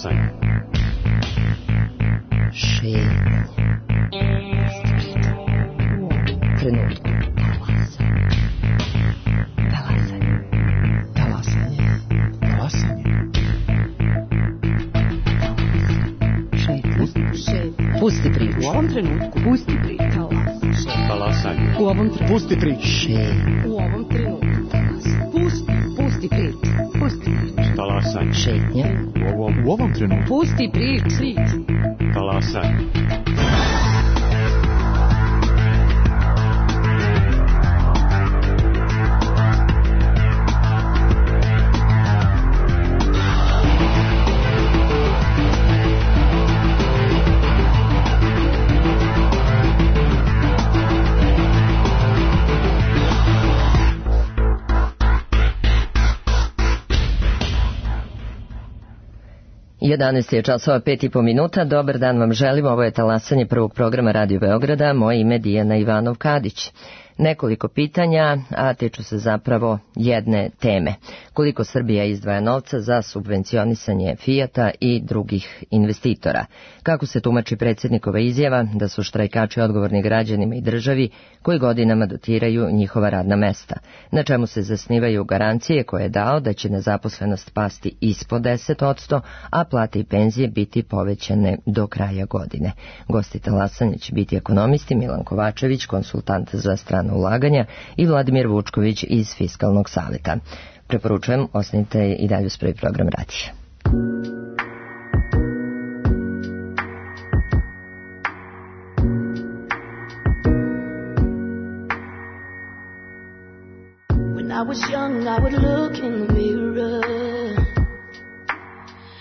Talasanje. Šetnje. Trenutku. Talasanje. Talasanje. Talasanje. Šetnje. Pusti priču. U ovom trenutku. Pusti priču. Talasanje. U ovom trenutku. Pusti priču. U ovom trenutku. Pusti priču. Pusti priču. Talasanje. Šetnje. U ovom trenutku. Pusti priču. Talasanje. Jedanaest je časova 5,5 minuta. Dobar dan vam želim. Ovo je talasanje prvog programa Radio Beograda. Moje ime je Dijana Ivanov-Kadić. Nekoliko pitanja, a tiču se zapravo jedne teme. Koliko Srbija izdvaja novca za subvencionisanje Fijata i drugih investitora? Kako se tumači predsjednikova izjava da su štrajkači odgovorni građanima i državi koji godinama dotiraju njihova radna mesta? Na čemu se zasnivaju garancije koje je dao da će nezaposlenost pasti ispod 10%, a plate i penzije biti povećane do kraja godine? Gosti talasanja će biti ekonomisti Milan Kovačević, konsultant za strana ulaganja, i Vladimir Vučković iz Fiskalnog saveta. Preporučujem, ostanite i dalje uz prvi program radija. When I was young, I would look in the mirror.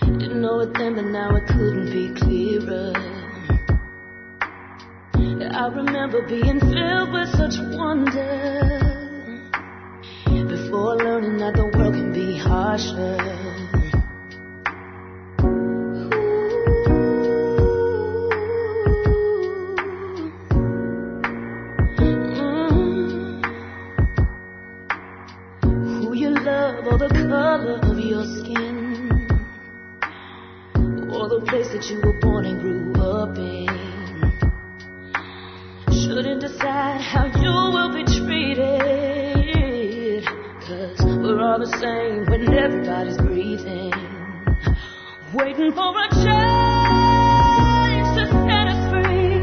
Didn't know it then, but now it couldn't be clearer. I remember being filled with such wonder before learning that the world can be harsher. Who you love or the color of your skin or the place that you were born and grew up in shouldn't decide how you will be treated, 'cause we're all the same when everybody's breathing, waiting for a change to set us free,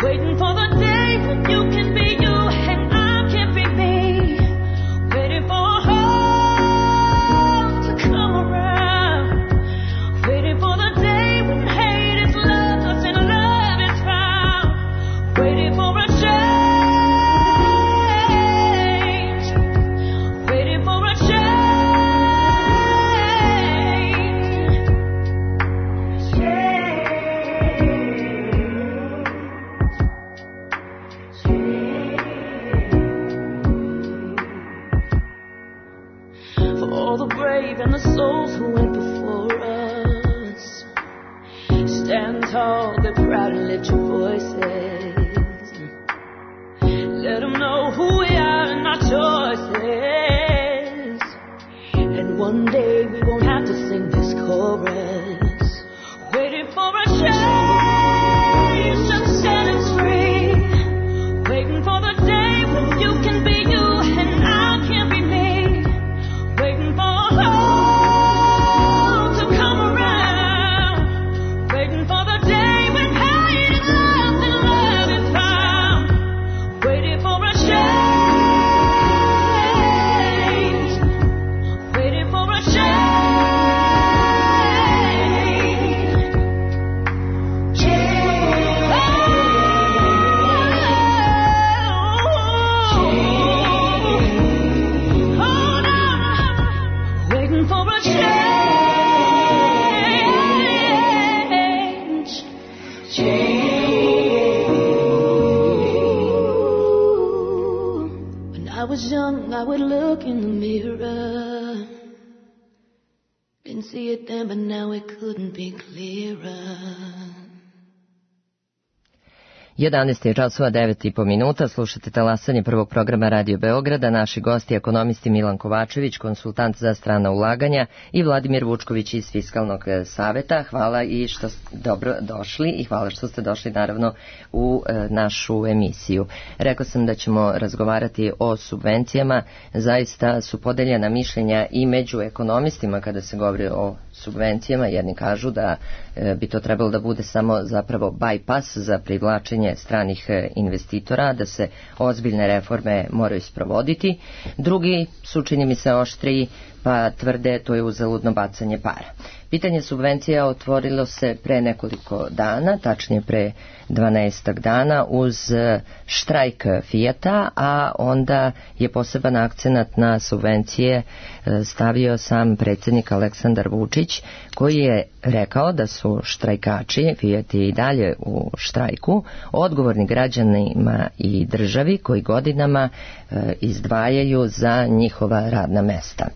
waiting for the day when you can be you and I can be me, waiting for hope to come around, waiting for the day when hate is lost and love is found, waiting for a change, waiting for a change. For all the brave and the souls who went before us, stand tall, they're proud, and lift your voices. Let them know who we are and our choices. And one day we won't have to sing this chorus, waiting for a change to set us free, waiting for the day when you can be you and I can be me, waiting for hope to come around, waiting for the day when hate is lost and love is found, waiting for a change, waiting for a change. Hold on, waiting for a change. When I was young, I would look in the mirror. Didn't see it then, but now it couldn't be clearer. 11 je časova 9,5 minuta, slušate talasanje prvog programa Radio Beograda, naši gosti ekonomisti Milan Kovačević, konsultant za strana ulaganja i Vladimir Vučković iz Fiskalnog saveta. Hvala i što ste dobro došli i hvala što ste došli naravno u našu emisiju. Rekao sam da ćemo razgovarati o subvencijama, zaista su podeljena mišljenja i među ekonomistima kada se govori o subvencijama. Jedni kažu da bi to trebalo da bude samo zapravo bypass za privlačenje stranih investitora, da se ozbiljne reforme moraju sprovoditi. Drugi su, čini mi se, oštriji, pa tvrde to je uzaludno bacanje para. Pitanje subvencija otvorilo se pre nekoliko dana, tačnije pre 12 dana uz štrajk Fijata, a onda je poseban akcenat na subvencije stavio sam predsjednik Aleksandar Vučić, koji je rekao da su štrajkači, Fijat je i dalje u štrajku, odgovorni građanima i državi koji godinama izdvajaju za njihova radna mesta.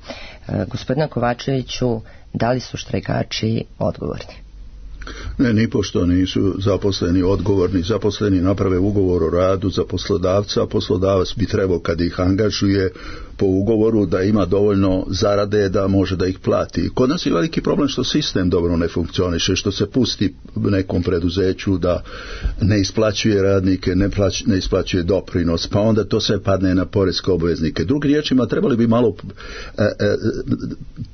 Gospodine Kovačeviću, da li su štrajkači odgovorni? Ne, nipošto nisu zaposleni odgovorni. Zaposleni naprave ugovor o radu za poslodavca, a poslodavac bi trebao kad ih angažuje po ugovoru da ima dovoljno zarade da može da ih plati. Kod nas je veliki problem što sistem dobro ne funkcioniše, što se pusti nekom preduzeću da ne isplaćuje radnike, ne isplaćuje doprinos, pa onda to sve padne na poreske obveznike. Drugim riječima, trebali bi malo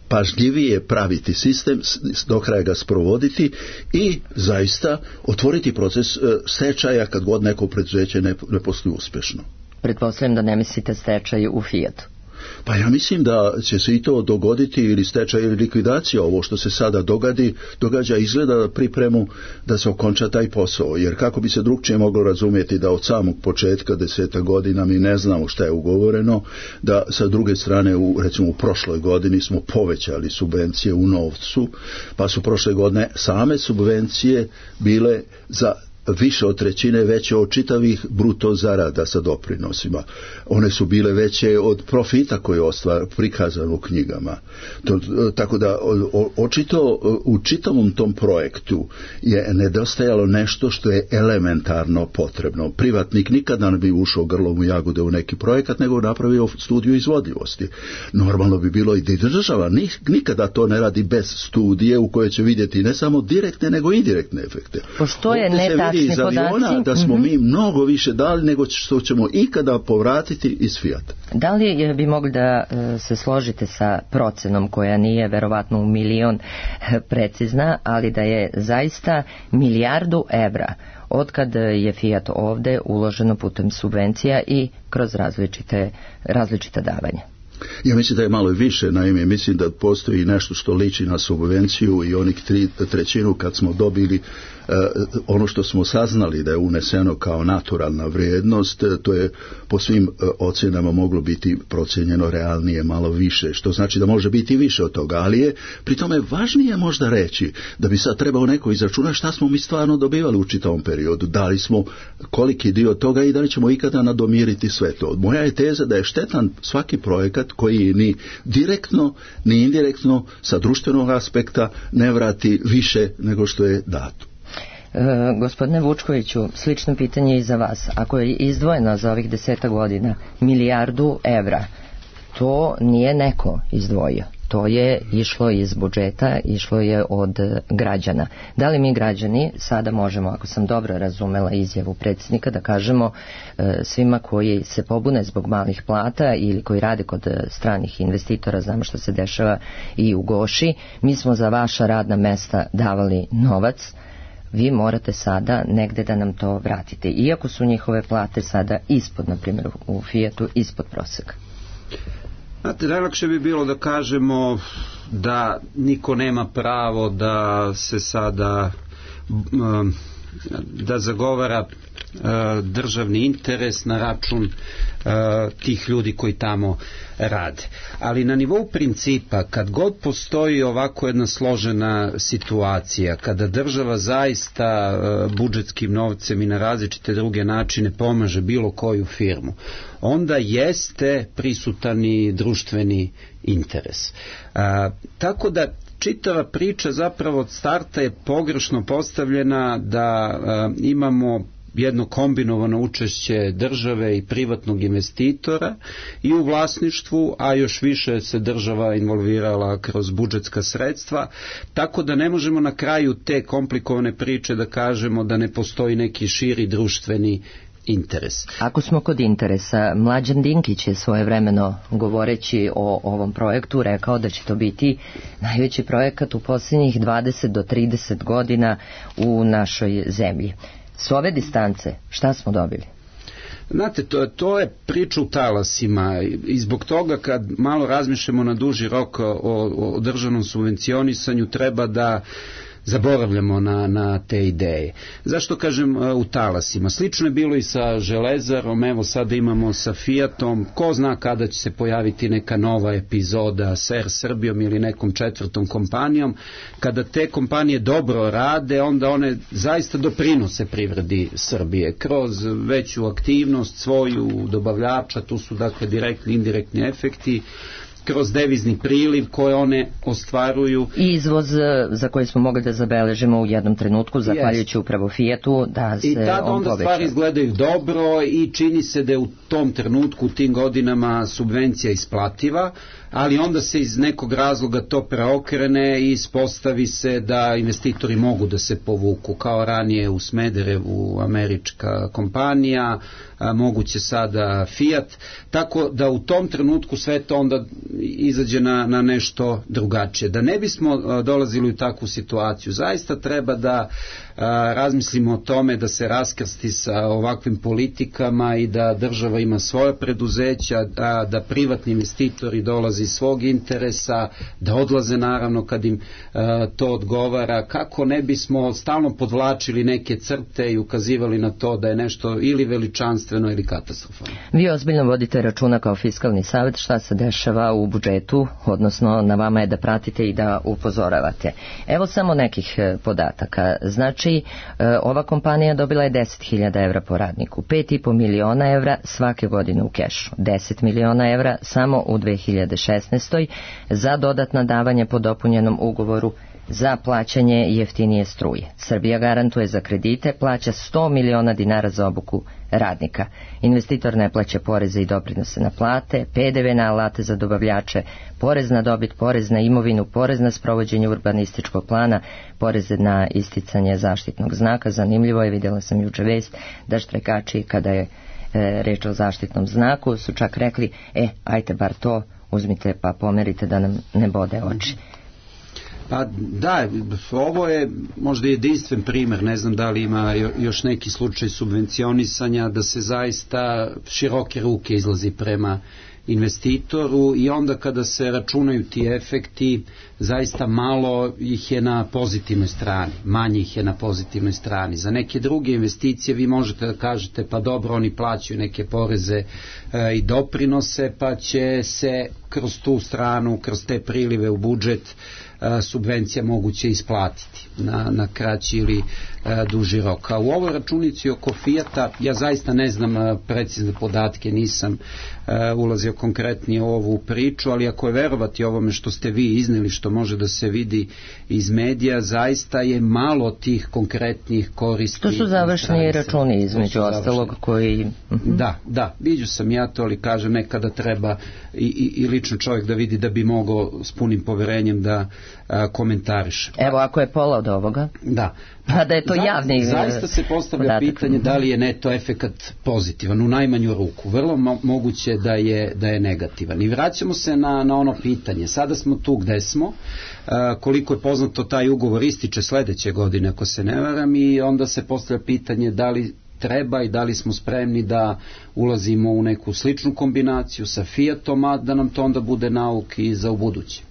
pažljivije praviti sistem, do kraja ga sprovoditi i zaista otvoriti proces stečaja kad god neko preduzeće ne posluje uspješno. Pretpostavljam da ne mislite stečaj u Fijatu. Pa ja mislim da će se i to dogoditi, ili stečaj ili likvidacija. Ovo što se sada događa izgleda pripremu da se okonča taj posao, jer kako bi se drugčije moglo razumjeti da od samog početka 10 godina mi ne znamo šta je ugovoreno, da sa druge strane recimo u prošloj godini smo povećali subvencije u novcu, pa su prošle godine same subvencije bile za više od trećine veće od čitavih bruto zarada sa doprinosima. One su bile veće od profita koji je prikazan u knjigama. Tako da očito u čitavom tom projektu je nedostajalo nešto što je elementarno potrebno. Privatnik nikada ne bi ušao grlom u jagode u neki projekat, nego napravio studiju izvodljivosti. Normalno bi bilo i da država nikada to ne radi bez studije u kojoj će vidjeti ne samo direktne nego i indirektne efekte. Pošto je netačni iz aviona da smo mi mnogo više dali nego što ćemo ikada povratiti iz Fijata. Da li bi mogli da se složite sa procenom koja nije verovatno u milion precizna, ali da je zaista milijardu evra otkad je Fijat ovde uloženo putem subvencija i kroz različita davanja? Ja mislim da je malo više, naime, mislim da postoji nešto što liči na subvenciju i onih 3/3 kad smo dobili ono što smo saznali da je uneseno kao naturalna vrijednost, to je po svim ocjenama moglo biti procijenjeno realnije malo više, što znači da može biti više od toga, ali je pri tome važnije možda reći da bi sad trebao neko izračunati šta smo mi stvarno dobivali u čitavom periodu, da li smo koliki dio toga i da li ćemo ikada nadomiriti sve to. Moja je teza da je štetan svaki projekat koji ni direktno ni indirektno sa društvenog aspekta ne vrati više nego što je dato. Gospodine Vučkoviću, slično pitanje i za vas. Ako je izdvojeno za ovih 10 godina milijardu evra, to nije neko izdvojio. To je išlo iz budžeta, išlo je od građana. Da li mi građani sada možemo, ako sam dobro razumela izjavu predsjednika, da kažemo svima koji se pobune zbog malih plata ili koji rade kod stranih investitora, znamo što se dešava i u Goši, mi smo za vaša radna mesta davali novac, vi morate sada negde da nam to vratite, iako su njihove plate sada ispod, na primjer u Fijatu, ispod proseka. Znate, najlakše bi bilo da kažemo da niko nema pravo da se sada da zagovara državni interes na račun tih ljudi koji tamo rade. Ali na nivou principa, kad god postoji ovako jedna složena situacija, kada država zaista budžetskim novcem i na različite druge načine pomaže bilo koju firmu, onda jeste prisutan i društveni interes. Tako da čitava priča zapravo od starta je pogrešno postavljena, da imamo jedno kombinovano učešće države i privatnog investitora i u vlasništvu, a još više se država involvirala kroz budžetska sredstva, tako da ne možemo na kraju te komplikovane priče da kažemo da ne postoji neki širi društveni interes. Ako smo kod interesa, Mlađan Dinkić je svojevremeno govoreći o ovom projektu rekao da će to biti najveći projekat u posljednjih 20 do 30 godina u našoj zemlji. S ove distance šta smo dobili? Znate, to je priča u talasima i zbog toga kad malo razmišljamo na duži rok o državnom subvencionisanju treba da zaboravljamo na te ideje. Zašto kažem u talasima? Slično je bilo i sa Železarom, evo sada imamo sa Fiatom, ko zna kada će se pojaviti neka nova epizoda sa Air Srbijom ili nekom četvrtom kompanijom. Kada te kompanije dobro rade, onda one zaista doprinose privredi Srbije kroz veću aktivnost svoju dobavljača, tu su dakle direktni i indirektni efekti, kroz devizni priliv koje one ostvaruju. I izvoz za koji smo mogli da zabeležimo u jednom trenutku, zahvaljujući upravo Fiatu, da se on poveća. I tada onda stvari izgledaju dobro i čini se da je u tom trenutku, u tim godinama subvencija isplativa, ali onda se iz nekog razloga to preokrene i ispostavi se da investitori mogu da se povuku, kao ranije u Smederevu američka kompanija, moguće sada Fiat, tako da u tom trenutku sve to onda izađe na nešto drugačije. Da ne bismo dolazili u takvu situaciju, zaista treba da razmislimo o tome da se raskrsti sa ovakvim politikama i da država ima svoje preduzeća, da privatni investitori dolaze iz svog interesa, da odlaze naravno kad im to odgovara, kako ne bismo stalno podvlačili neke crte i ukazivali na to da je nešto ili veličanstveno ili katastrofalno. Vi ozbiljno vodite računa kao fiskalni savjet šta se dešava u budžetu, odnosno na vama je da pratite i da upozoravate. Evo samo nekih podataka. Znači, ova kompanija dobila je 10.000 evra po radniku, 5,5 miliona evra svake godine u kešu, 10 miliona evra samo u 2016. za dodatna davanja po dopunjenom ugovoru za plaćanje jeftinije struje. Srbija garantuje za kredite, plaća 100 miliona dinara za obuku radnika. Investitor ne plaća poreze i doprinose na plate, PDV na alate za dobavljače, porez na dobit, porez na imovinu, porez na sprovođenje urbanističkog plana, poreze na isticanje zaštitnog znaka. Zanimljivo je, vidjela sam juče vest da štrajkači kada je reč o zaštitnom znaku su čak rekli, ajte bar to uzmite pa pomerite da nam ne bode oči. Pa da, ovo je možda jedinstven primer, ne znam da li ima još neki slučaj subvencionisanja, da se zaista široke ruke izlazi prema investitoru i onda kada se računaju ti efekti, zaista malo ih je na pozitivnoj strani, manje ih je na pozitivnoj strani. Za neke druge investicije vi možete da kažete pa dobro, oni plaćaju neke poreze i doprinose, pa će se kroz tu stranu, kroz te prilive u budžet subvencija moguće isplatiti na kraći ili duži rok. A u ovoj računici oko Fijata, ja zaista ne znam precizne podatke, nisam ulazio konkretnije u ovu priču, ali ako je verovati ovome što ste vi izneli, što može da se vidi iz medija, zaista je malo tih konkretnih koristi. To su završni računi između ostalog koji... Da, vidio sam ja to, ali kažem nekada treba i lično čovjek da vidi da bi mogao s punim poverenjem da komentariše. Evo, ako je pola od ovoga, pa da je to javni zaista se postavlja pitanje da li je neto efekat pozitivan, u najmanju ruku. Vrlo moguće da je negativan. I vraćamo se na ono pitanje. Sada smo tu gde smo, koliko je poznato taj ugovor ističe sledeće godine, ako se ne varam, i onda se postavlja pitanje da li treba i da li smo spremni da ulazimo u neku sličnu kombinaciju sa Fiatom, a da nam to onda bude nauk i za ubuduće.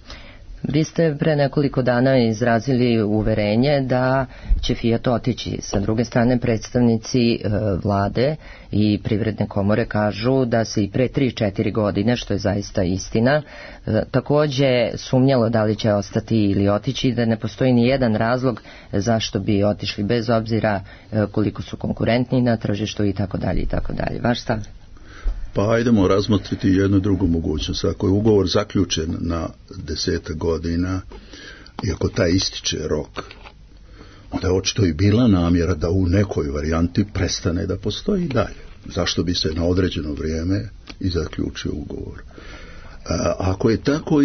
Vi ste pre nekoliko dana izrazili uverenje da će Fiat otići. Sa druge strane, predstavnici vlade i privredne komore kažu da se i pre 3-4 godine, što je zaista istina, takođe sumnjalo da li će ostati ili otići, da ne postoji ni jedan razlog zašto bi otišli, bez obzira koliko su konkurentni na tržištu i tako dalje i tako dalje. Vaš stav? Pa ajdemo razmotriti jednu drugu mogućnost. Ako je ugovor zaključen na 10 godina i ako taj ističe rok, onda je očito i bila namjera da u nekoj varijanti prestane da postoji dalje. Zašto bi se na određeno vrijeme i zaključio ugovor? Ako je tako,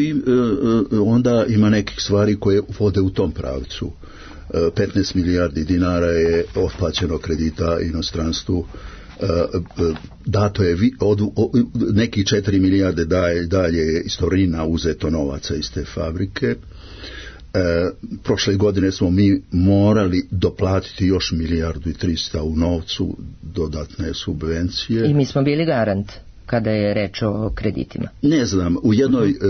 onda ima nekih stvari koje vode u tom pravcu. 15 milijardi dinara je otplaćeno kredita inostranstvu, dato je nekih 4 milijarde dalje je iz Torina uzeto novaca iz te fabrike. Prošle godine smo mi morali doplatiti još 1,3 milijarde u novcu, dodatne subvencije. I mi smo bili garant kada je reč o kreditima. Ne znam,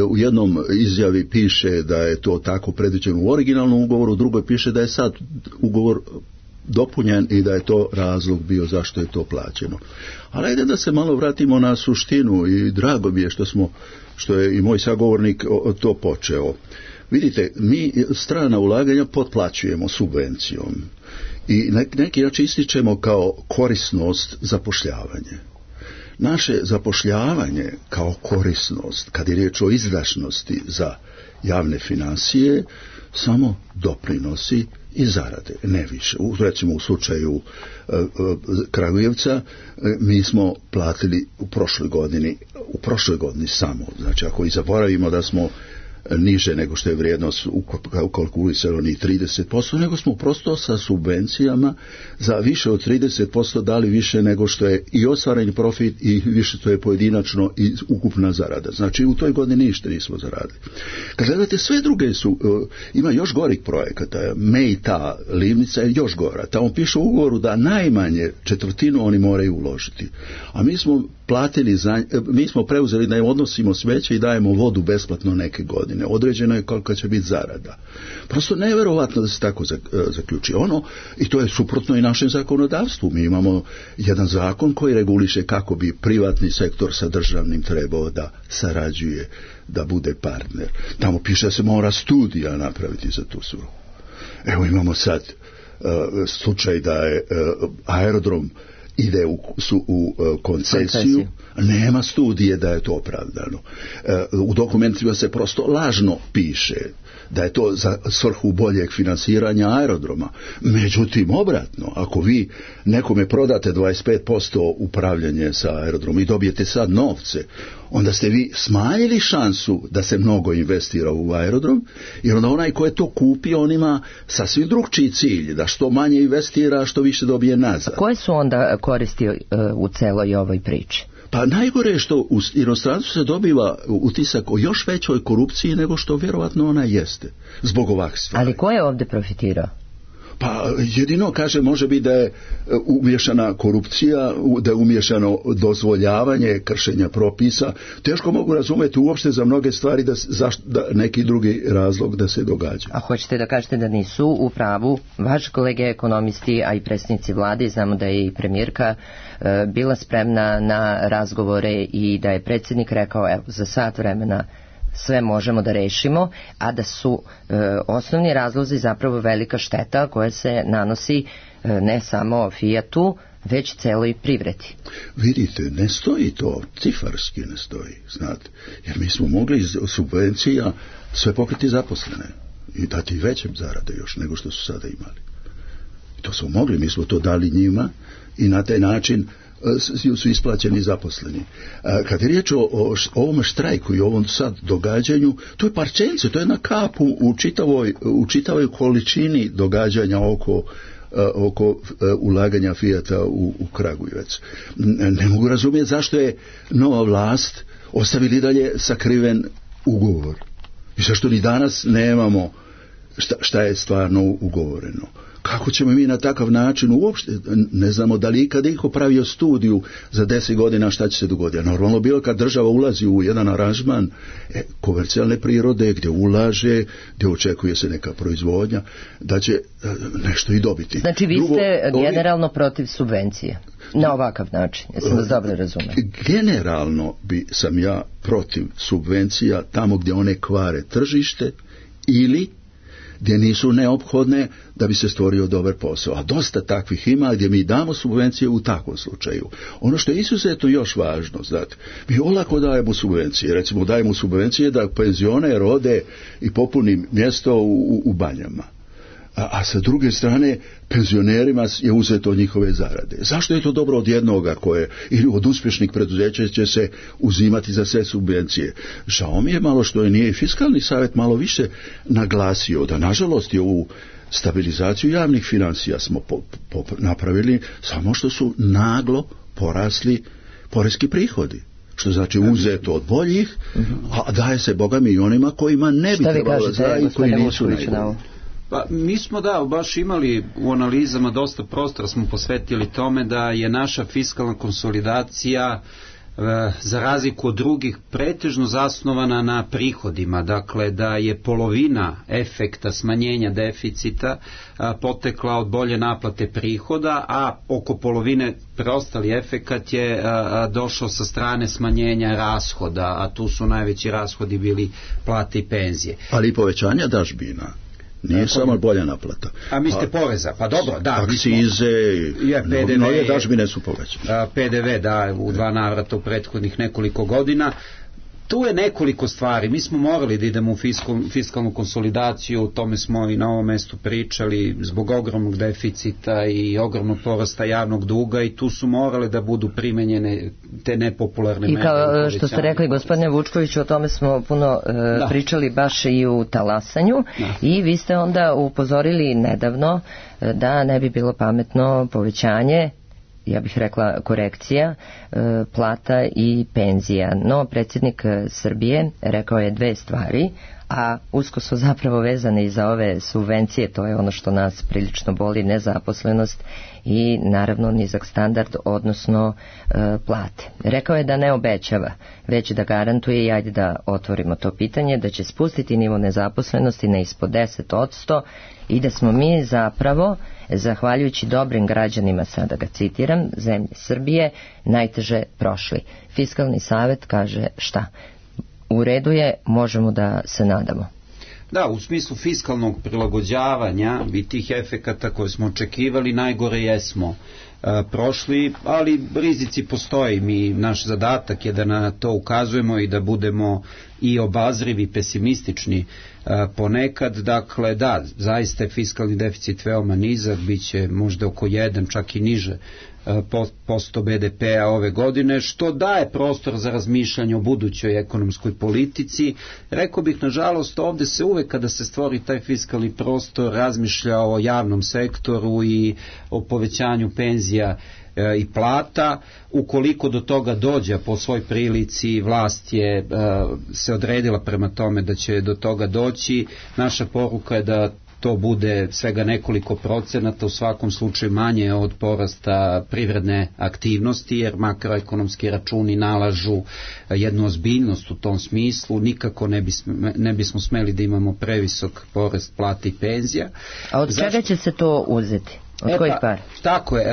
u jednom izjavi piše da je to tako predviđeno u originalnom ugovoru, u drugoj piše da je sad ugovor dopunjen i da je to razlog bio zašto je to plaćeno. Ali ajde da se malo vratimo na suštinu i drago mi je što je i moj sagovornik to počeo. Vidite, mi strana ulaganja potplaćujemo subvencijom i neki način ističemo kao korisnost zapošljavanje. Naše zapošljavanje kao korisnost, kad je riječ o izdašnosti za javne financije, samo doprinosi i zarade, ne više. Recimo u slučaju Kragujevca mi smo platili u prošloj godini samo, znači ako i zaboravimo da smo niže nego što je vrijednost ukalkulisano ni 30%, nego smo prosto sa subvencijama za više od 30% dali više nego što je i ostvareni profit i više što je pojedinačno i ukupna zarada. Znači u toj godini ništa nismo zaradili. Kad gledate, sve druge ima još gorih projekata. Mejta, Livnica je još gora. Tamo piše u ugovoru da najmanje 1/4 oni moraju uložiti. A mi smo mi smo preuzeli da im odnosimo smeće i dajemo vodu besplatno neke godine. Određeno je kolika će biti zarada. Prosto nevjerovatno da se tako zaključi. I to je suprotno i našem zakonodavstvu. Mi imamo jedan zakon koji reguliše kako bi privatni sektor sa državnim trebao da sarađuje, da bude partner. Tamo piše da se mora studija napraviti za tu svrhu. Evo imamo sad slučaj da je aerodrom ide u koncesiju, nema studije da je to opravdano. U dokumentima se prosto lažno piše da je to za svrhu boljeg finansiranja aerodroma. Međutim, obratno, ako vi nekome prodate 25% upravljanje sa aerodromom i dobijete sad novce, onda ste vi smanjili šansu da se mnogo investira u aerodrom, jer onda onaj ko je to kupio, on ima sasvim drugčiji cilj, da što manje investira, što više dobije nazad. A koje su onda koristi u celoj ovoj priči? Pa najgore je što u inostranstvu se dobiva utisak o još većoj korupciji nego što vjerovatno ona jeste, zbog ovakvih stvari. Ali ko je ovdje profitirao? Pa jedino, kaže, može biti da je umiješana korupcija, da je umiješano dozvoljavanje kršenja propisa. Teško mogu razumjeti uopšte za mnoge stvari da neki drugi razlog da se događa. A hoćete da kažete da nisu u pravu vaši kolege ekonomisti, a i predsjednici vlade, znamo da je i premijerka bila spremna na razgovore i da je predsjednik rekao, evo, za sat vremena sve možemo da rešimo, a da su osnovni razlozi zapravo velika šteta koja se nanosi ne samo Fiatu, već celoj privredi. Vidite, ne stoji to, cifarski ne stoji, znate, jer mi smo mogli iz subvencija sve pokriti zaposlene i dati većem zarade još nego što su sada imali. To smo mogli, mi smo to dali njima i na taj način su isplaćeni zaposleni. Kad je riječ o ovom štrajku i ovom sad događanju, to je parčence, to je jedna kap u čitavoj količini događanja oko ulaganja Fijata u Kragujevac. Ne mogu razumjeti zašto je nova vlast ostavili dalje sakriven ugovor i zašto ni danas nemamo šta je stvarno ugovoreno. Kako ćemo mi na takav način uopšte, ne znamo da li ikad iko pravio studiju za 10 godina šta će se dogoditi. Normalno bilo kad država ulazi u jedan aranžman komercijalne prirode, gdje ulaže, gdje očekuje se neka proizvodnja, da će nešto i dobiti. Znači vi ste generalno protiv subvencije, na ovakav način, jesam vas dobro razumio. Generalno sam ja protiv subvencija tamo gdje one kvare tržište ili gdje nisu neophodne da bi se stvorio dobar posao. A dosta takvih ima gdje mi damo subvencije u takvom slučaju. Ono što je izuzetno još važno, znate, mi olako dajemo subvencije. Recimo dajemo subvencije da penzioner ode i popuni mjesto u banjama. a sa druge strane penzionerima je uzeto od njihove zarade. Zašto je to dobro od jednoga koje, ili od uspješnih preduzeća će se uzimati za sve subvencije? Žao mi je malo što je nije i Fiskalni savjet malo više naglasio da nažalost je ovu stabilizaciju javnih financija smo napravili samo što su naglo porasli poreski prihodi. Što znači uzeto od boljih, a daje se bogami i onima kojima ne bi trebalo da i koji nisu najbolji. Pa mi smo baš imali u analizama dosta prostora smo posvetili tome da je naša fiskalna konsolidacija za razliku od drugih pretežno zasnovana na prihodima, dakle da je polovina efekta smanjenja deficita potekla od bolje naplate prihoda, a oko polovine preostali efekat je došao sa strane smanjenja rashoda, a tu su najveći rashodi bili plate i penzije. Ali i povećanja dažbina. Nije samo bolja naplata. A mislite poreza? Pa dobro, da. Akcize, nove dažbine su povećane. PDV, da, u 2 navrata u prethodnih nekoliko godina. Tu je nekoliko stvari. Mi smo morali da idemo u fiskalnu konsolidaciju, o tome smo i na ovom mestu pričali, zbog ogromnog deficita i ogromnog porasta javnog duga, i tu su morale da budu primenjene te nepopularne mere. I kao što ste rekli, gospodine Vučkoviću, o tome smo puno pričali baš i u talasanju, i vi ste onda upozorili nedavno da ne bi bilo pametno povećanje, ja bih rekla korekcija, plata i penzija. No, predsjednik Srbije rekao je 2 stvari, a usko su zapravo vezane i za ove subvencije, to je ono što nas prilično boli, nezaposlenost i naravno nizak standard, odnosno plate. Rekao je da ne obećava, već da garantuje, i ajde da otvorimo to pitanje, da će spustiti nivo nezaposlenosti na ispod 10% i da smo mi zapravo, zahvaljujući dobrim građanima, sada ga citiram, zemlje Srbije, najteže prošli. Fiskalni savjet kaže šta? U redu je, možemo da se nadamo. Da, u smislu fiskalnog prilagođavanja i tih efekata koje smo očekivali, najgore jesmo prošli, ali rizici postoji. Naš zadatak je da na to ukazujemo i da budemo i obazrivi, pesimistični ponekad. Dakle, da, zaista je fiskalni deficit veoma nizak, bit će možda oko 1, čak i niže posto BDP-a ove godine, što daje prostor za razmišljanje o budućoj ekonomskoj politici. Rekao bih, nažalost, ovde se uvek kada se stvori taj fiskalni prostor razmišlja o javnom sektoru i o povećanju penzija i plata. Ukoliko do toga dođe, po svoj prilici vlast je se odredila prema tome da će do toga doći, naša poruka je da to bude svega nekoliko procenata, u svakom slučaju manje od porasta privredne aktivnosti, jer makroekonomski računi nalažu jednu ozbiljnost u tom smislu. Nikako ne bismo smeli da imamo previsok porast plata i penzija. A od čega će se to uzeti? Od kojih par? Tako je.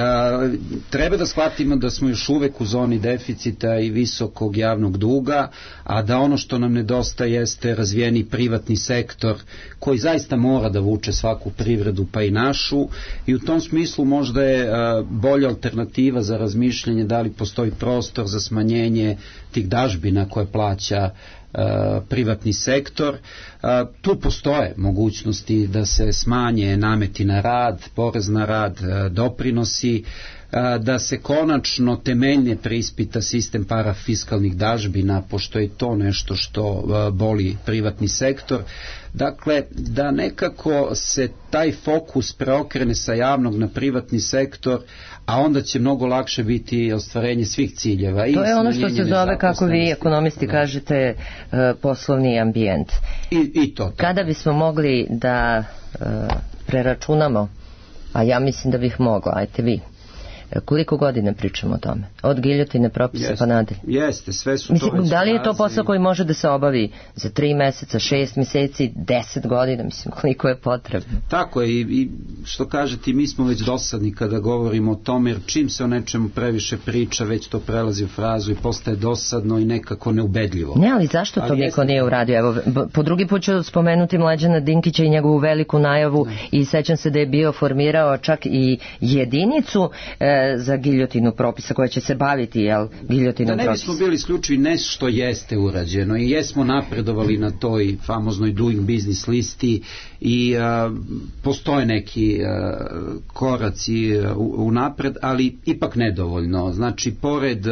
Treba da shvatimo da smo još uvek u zoni deficita i visokog javnog duga, a da ono što nam nedostaje jeste razvijeni privatni sektor koji zaista mora da vuče svaku privredu, pa i našu, i u tom smislu možda je bolja alternativa za razmišljanje da li postoji prostor za smanjenje tih dažbina koje plaća privatni sektor. Tu postoje mogućnosti da se smanje nameti na rad, porez na rad, doprinosi, da se konačno temeljnije preispita sistem parafiskalnih dažbina, pošto je to nešto što boli privatni sektor. Dakle, da nekako se taj fokus preokrene sa javnog na privatni sektor, a onda će mnogo lakše biti ostvarenje svih ciljeva. To je ono što se zove, kako vi ekonomisti kažete, poslovni ambijent. I to. Kada bismo mogli da preračunamo, a ja mislim da bih mogla, ajte vi, koliko godina pričamo o tome? Od giljotine propisa pa nadalje. Jeste, sve su mislim, to već da li je to posao koji može da se obavi za 3 meseca, 6 meseci, 10 godina, mislim, koliko je potrebno? Tako je, i što kažete, mi smo već dosadni kada govorimo o tome, jer čim se o nečemu previše priča, već to prelazi u frazu i postaje dosadno i nekako neubedljivo. Ne, ali zašto to niko nije uradio? Evo, po drugi put ću spomenuti Mlađana Dinkića i njegovu veliku najavu, i sećam se da je bio formirao čak i jedinicu za giljotinu propisa koja će se baviti giljotinom propisa. Da ne bismo bili isključivi, nešto jeste urađeno i jesmo napredovali na toj famoznoj Doing Business listi i postoje neki koraci unapred, ali ipak nedovoljno. Znači, pored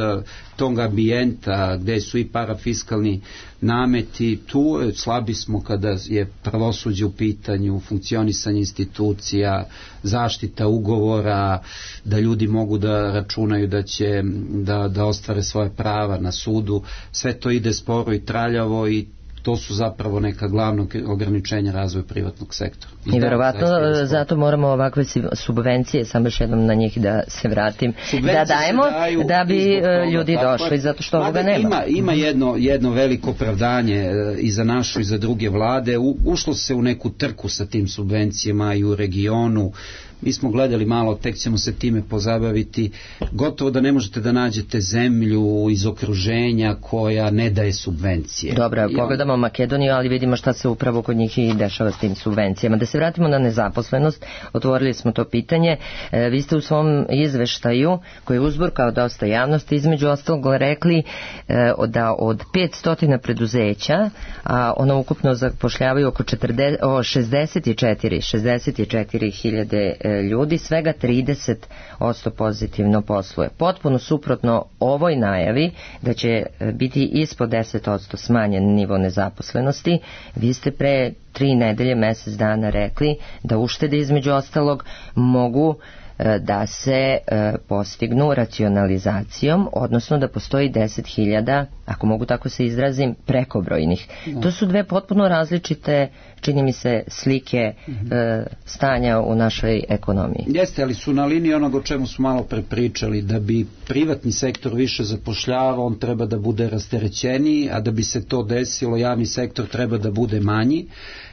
tog ambijenta gde su i parafiskalni nameti, tu slabi smo kada je pravosuđe u pitanju, funkcionisanje institucija, zaštita ugovora, da ljudi mogu da računaju da će da ostvare svoje prava na sudu. Sve to ide sporo i traljavo i to su zapravo neka glavna ograničenja razvoja privatnog sektora. I verovatno zato moramo ovakve subvencije, samo još jednom na njih da se vratim, da dajemo da bi ljudi došli, zato što ovoga nema. Ima jedno veliko opravdanje i za našu i za druge vlade. Ušlo se u neku trku sa tim subvencijama i u regionu. Mi smo gledali malo, tek ćemo se time pozabaviti. Gotovo da ne možete da nađete zemlju iz okruženja koja ne daje subvencije. Dobro, pogledamo Makedoniju, ali vidimo šta se upravo kod njih i dešava s tim subvencijama. Da se vratimo na nezaposlenost, otvorili smo to pitanje. Vi ste u svom izveštaju, koji je uzburkao dosta javnosti, između ostalog rekli da od 500 preduzeća, a ono ukupno zapošljavaju oko 64.000 ljudi, svega 30% pozitivno posluje. Potpuno suprotno ovoj najavi da će biti ispod 10% smanjen nivo nezaposlenosti. Vi ste pre 3 nedelje, mesec dana rekli da uštede između ostalog mogu da se postignu racionalizacijom, odnosno da postoji 10.000, ako mogu tako se izrazim, prekobrojnih. To su dve potpuno različite, čini mi se, slike stanja u našoj ekonomiji. Jeste, ali su na liniji onog o čemu smo malo prepričali, da bi privatni sektor više zapošljavao, on treba da bude rasterećeniji, a da bi se to desilo, javni sektor treba da bude manji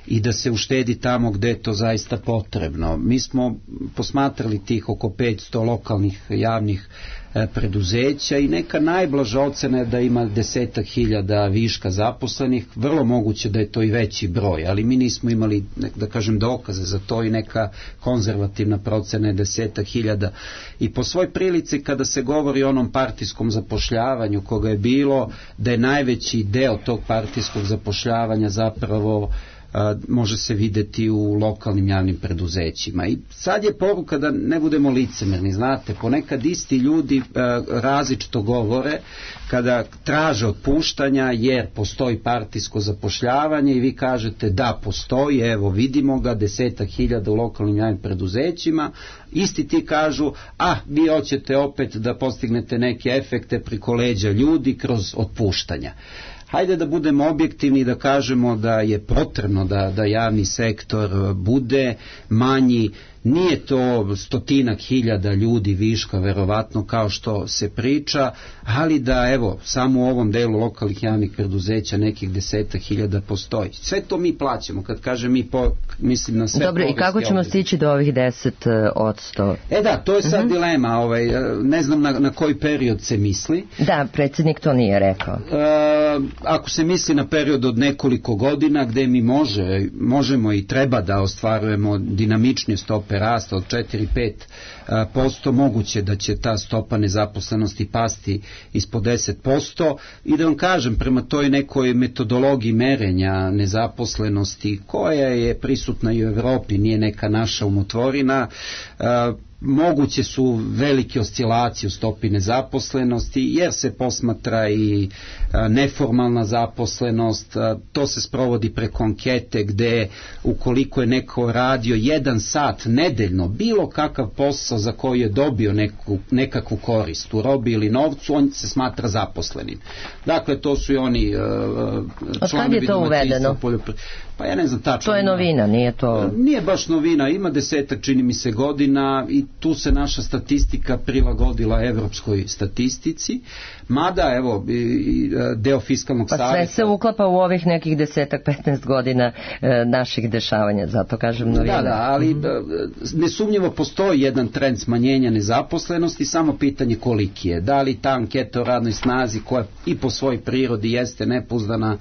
i da se uštedi tamo gde je to zaista potrebno. Mi smo posmatrali tih oko 500 lokalnih javnih preduzeća i neka najblaža ocena je da ima 10.000 viška zaposlenih, vrlo moguće da je to i veći broj, ali mi nismo imali, da kažem, dokaze za to i neka konzervativna procena je 10.000. I po svoj prilici kada se govori o onom partijskom zapošljavanju koga je bilo, da je najveći deo tog partijskog zapošljavanja zapravo može se videti u lokalnim javnim preduzećima. I sad je poruka da ne budemo licemerni, znate, ponekad isti ljudi različito govore kada traže otpuštanja jer postoji partijsko zapošljavanje i vi kažete da postoji, evo vidimo ga, 10.000 u lokalnim javnim preduzećima, isti ti kažu, vi hoćete opet da postignete neke efekte preko leđa ljudi kroz otpuštanja. Hajde da budemo objektivni i da kažemo da je potrebno da javni sektor bude manji. Nije to 100.000 ljudi viška, verovatno, kao što se priča, ali da, evo, samo u ovom delu lokalnih javnih preduzeća nekih 10.000 postoji. Sve to mi plaćamo, kad kažem mi, mislim na sve. Dobro, i kako ćemo stići do ovih 10%? Da, to je sad dilema, ne znam na koji period se misli. Da, predsjednik to nije rekao. Ako se misli na period od nekoliko godina gde mi možemo i treba da ostvarujemo dinamičnije stope rasta od 4-5%, moguće da će ta stopa nezaposlenosti pasti ispod 10%. I da vam kažem, prema toj nekoj metodologiji merenja nezaposlenosti koja je prisutna i u Evropi, nije neka naša umotvorina, moguće su velike oscilacije u stopi nezaposlenosti jer se posmatra i neformalna zaposlenost, to se sprovodi preko ankete gde ukoliko je neko radio 1 sat nedeljno bilo kakav posao za koji je dobio nekakvu korist u robi ili novcu, on se smatra zaposlenim. Dakle, to su i oni članovi domaćinstva. Pa ja ne znam tačno. To je novina, nije to... Nije baš novina, ima 10, čini mi se, godina i tu se naša statistika prilagodila evropskoj statistici, mada, evo, deo fiskalnog savjeta... Pa sve se uklapa u ovih nekih 10-15 godina naših dešavanja, zato kažem novina. Da, ali nesumnjivo postoji jedan trend smanjenja nezaposlenosti, samo pitanje koliki je. Da li ta anketa o radnoj snazi, koja i po svojoj prirodi jeste nepouzdana,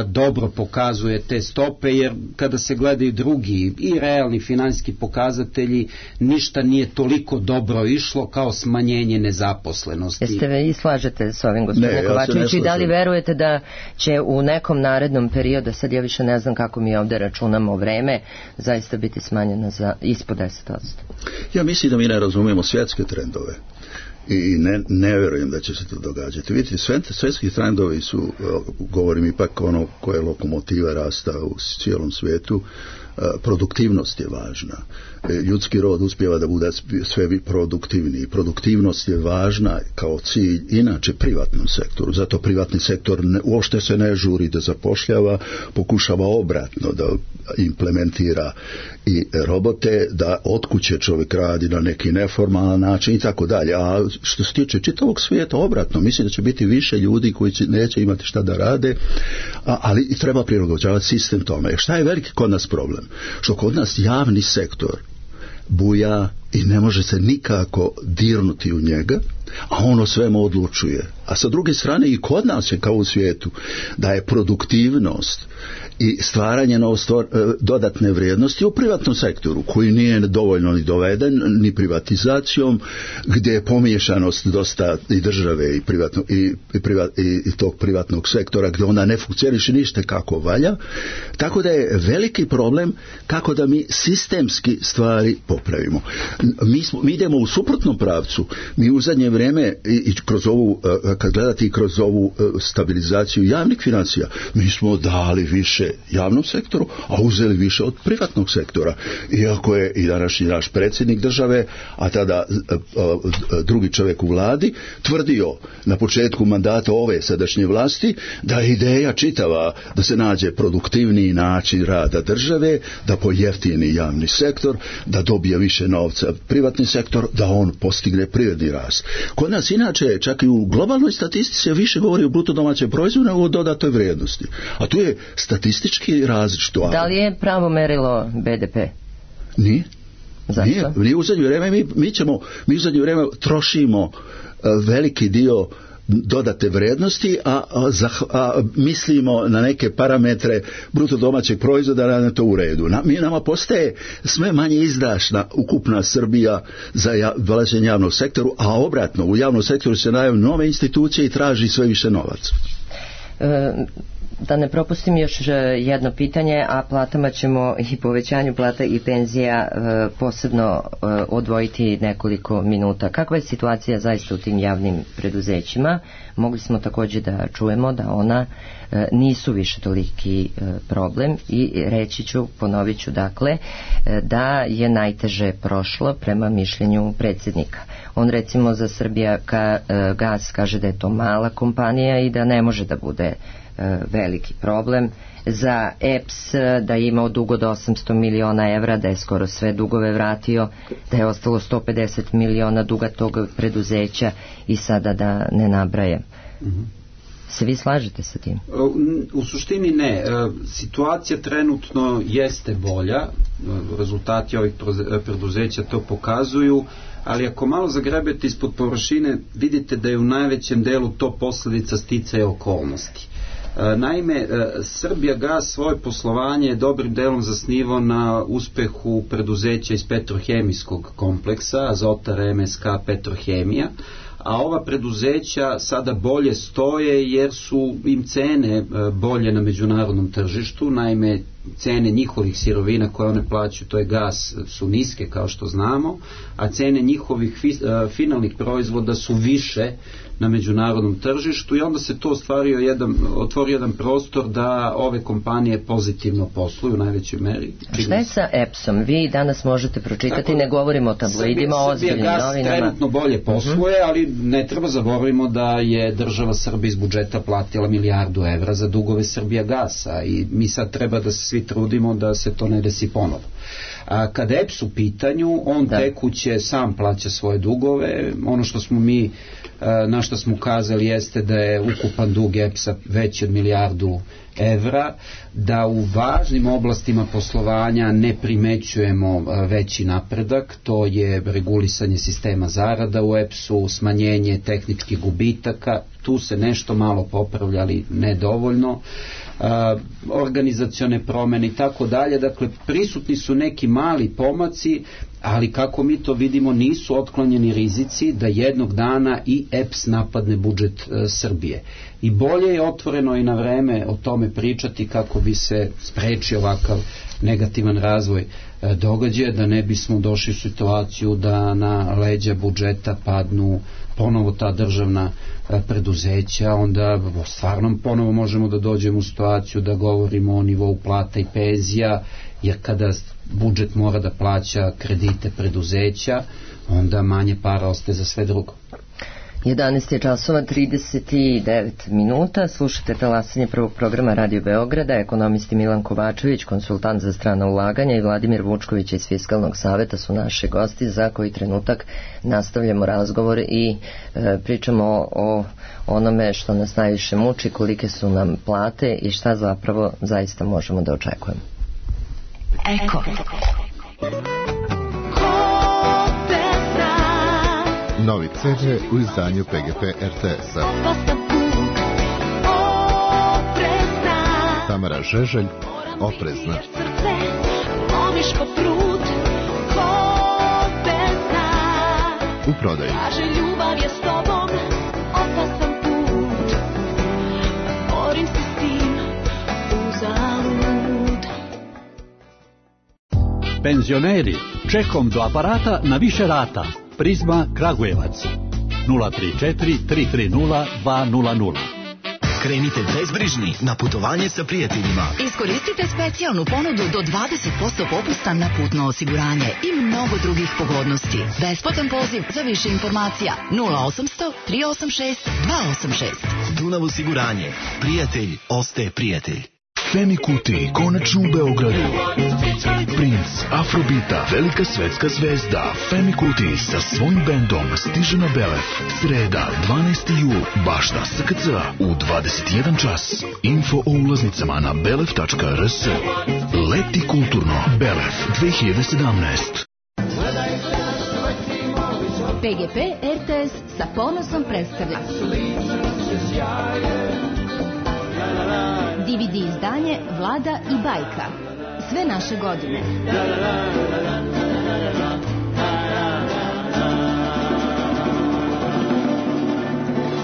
dobro pokazuje te stope stope, jer kada se gledaju drugi i realni finansijski pokazatelji, ništa nije toliko dobro išlo kao smanjenje nezaposlenosti. Jeste vi slažete s ovim, gospodine Kovačević, i da li verujete da će u nekom narednom periodu, sad ja više ne znam kako mi ovde računamo vreme, zaista biti smanjena za ispod 10%? Ja mislim da mi ne razumijemo svjetske trendove i ne vjerujem da će se to događati. Vidite, svjetski trendovi su, govorim ipak ono koje je lokomotiva rasta u cijelom svijetu, produktivnost je važna. Ljudski rod uspijeva da bude sve produktivniji. Produktivnost je važna kao cilj inače privatnom sektoru. Zato privatni sektor uopšte se ne žuri da zapošljava, pokušava obratno da implementira i robote, da od kuće čovjek radi na neki neformalan način i tako dalje. A što se tiče čitavog svijeta, obratno, mislim da će biti više ljudi koji neće imati šta da rade, ali treba prilagođavati sistem tome. Šta je veliki kod nas problem? Što kod nas javni sektor buja i ne može se nikako dirnuti u njega, a ono svemu odlučuje. A sa druge strane i kod nas je kao u svijetu da je produktivnost i stvaranje dodatne vrijednosti u privatnom sektoru koji nije dovoljno ni doveden ni privatizacijom, gdje je pomiješanost dosta i države i tog privatnog sektora gdje ona ne funkcioniše ništa kako valja, tako da je veliki problem kako da mi sistemski stvari popravimo. Mi idemo u suprotnom pravcu. Mi u zadnje vrijeme i kroz ovu, kad gledate i kroz ovu stabilizaciju javnih financija, mi smo dali više javnom sektoru, a uzeli više od privatnog sektora. Iako je i današnji naš predsjednik države, a tada drugi čovjek u vladi, tvrdio na početku mandata ove sadašnje vlasti da je ideja čitava da se nađe produktivniji način rada države, da pojeftini javni sektor, da dobije više novca privatni sektor, da on postigne privredni rast. Kod nas inače, čak i u globalnoj statistici više govori o bruto domaćem proizvodu nego o dodatoj vrijednosti. A tu je statistički različito. Da li je pravo merilo BDP? Nije. Zašto? Nije u zadnje vrijeme mi u zadnje vrijeme trošimo veliki dio dodate vrijednosti, a mislimo na neke parametre bruto domaćeg proizvoda, da je to u redu. Nama postaje sve manje izdašna ukupna Srbija za vlaženje javnog sektoru, a obratno, u javnom sektoru se najavljaju nove institucije i traži sve više novaca. Da ne propustim još jedno pitanje, a platama ćemo i povećanju plata i penzija posebno odvojiti nekoliko minuta. Kakva je situacija zaista u tim javnim preduzećima? Mogli smo također da čujemo da ona nisu više toliki problem i reći ću, ponovit ću dakle, da je najteže prošlo prema mišljenju predsjednika. On recimo za Srbijagas kaže da je to mala kompanija i da ne može da bude veliki problem. Za EPS da je imao dug od 800 miliona evra, da je skoro sve dugove vratio, da je ostalo 150 miliona duga tog preduzeća i sada da ne nabrajem. Se vi slažete sa tim? U suštini ne. Situacija trenutno jeste bolja, rezultati ovih preduzeća to pokazuju, ali ako malo zagrebete ispod površine, vidite da je u najvećem delu to posljedica sticaja okolnosti. Naime, Srbijagas svoje poslovanje je dobrim delom zasnivao na uspehu preduzeća iz petrohemijskog kompleksa, Azotara, MSK, Petrohemija, a ova preduzeća sada bolje stoje jer su im cene bolje na međunarodnom tržištu. Naime, cene njihovih sirovina koje one plaćaju, to je gas, su niske kao što znamo, a cene njihovih finalnih proizvoda su više na međunarodnom tržištu i onda se to otvorio jedan prostor da ove kompanije pozitivno posluju u najvećoj meri. Šta je sa EPS-om? Vi danas možete pročitati, ne govorimo o tabloidima, o ozbiljnim novinama. Srbijagas trenutno bolje posluje, ali ne treba zaboravimo da je država Srbija iz budžeta platila 1 milijardu evra za dugove Srbijagasa i mi sad treba da se svi trudimo da se to ne desi ponovo. A kad EPS u pitanju, on tekuće sam plaća svoje dugove. Ono što smo mi, na što smo ukazali, jeste da je ukupan dug EPS-a veći od 1 milijardu evra, da u važnim oblastima poslovanja ne primećujemo veći napredak, to je regulisanje sistema zarada u EPS-u, smanjenje tehničkih gubitaka, tu se nešto malo popravlja, ali nedovoljno. organizacione promene i tako dalje. Dakle, prisutni su neki mali pomaci, ali kako mi to vidimo nisu otklonjeni rizici da jednog dana i EPS napadne budžet Srbije. I bolje je otvoreno i na vreme o tome pričati kako bi se sprečio ovakav negativan razvoj događaja, da ne bismo došli u situaciju da na leđa budžeta padnu ponovo ta državna preduzeća, onda stvarno ponovo možemo da dođemo u situaciju da govorimo o nivou plata i penzija, jer kada budžet mora da plaća kredite preduzeća, onda manje para ostaje za sve drugo. 11 časova 39 minuta, slušate talasanje prvog programa Radio Beograda, ekonomisti Milan Kovačević, konsultant za strana ulaganja, i Vladimir Vučković iz Fiskalnog saveta su naši gosti. Za koji trenutak nastavljamo razgovor i pričamo o onome što nas najviše muči, kolike su nam plate i šta zapravo zaista možemo da očekujemo. Eko. Novi CD u izdanju PGP RTS-a. Tamara Žeželj, Oprezna. U prodaju. Penzioneri, čekom do aparata na više rata. Prizma Kragujevac 034 330 200. Krenite bezbrižni na putovanje sa prijateljima. Iskoristite specijalnu ponudu do 20% popusta na putno osiguranje i mnogo drugih pogodnosti. Besplatan poziv za više informacija 0800 386 286. Dunav osiguranje. Prijatelj ostaje prijatelj. Femi Kuti, konačno u Beogradu. Princ Afrobita, velika svetska zvezda Femi Kuti sa svojim bendom stiže na Belef. Sreda, 12. jul, baš na SKC u 21 čas. Info o ulaznicama na belef.rs. Leti kulturno. Belef 2017. PGP RTS sa ponosom predstavlja DVD izdanje Vlada i bajka. Sve naše godine.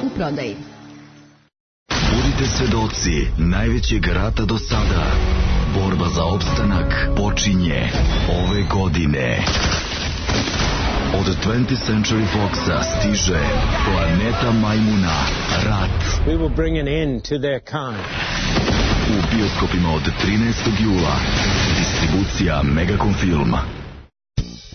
U prodaji. Budite svedoci najvećeg rata do sada. Borba za opstanak počinje ove godine. Od 20th Century Foxa stiže Planeta majmuna, Rat. We will bring an end to their kind. U bioskopima od 13. jula. Distribucija Megacom Filma.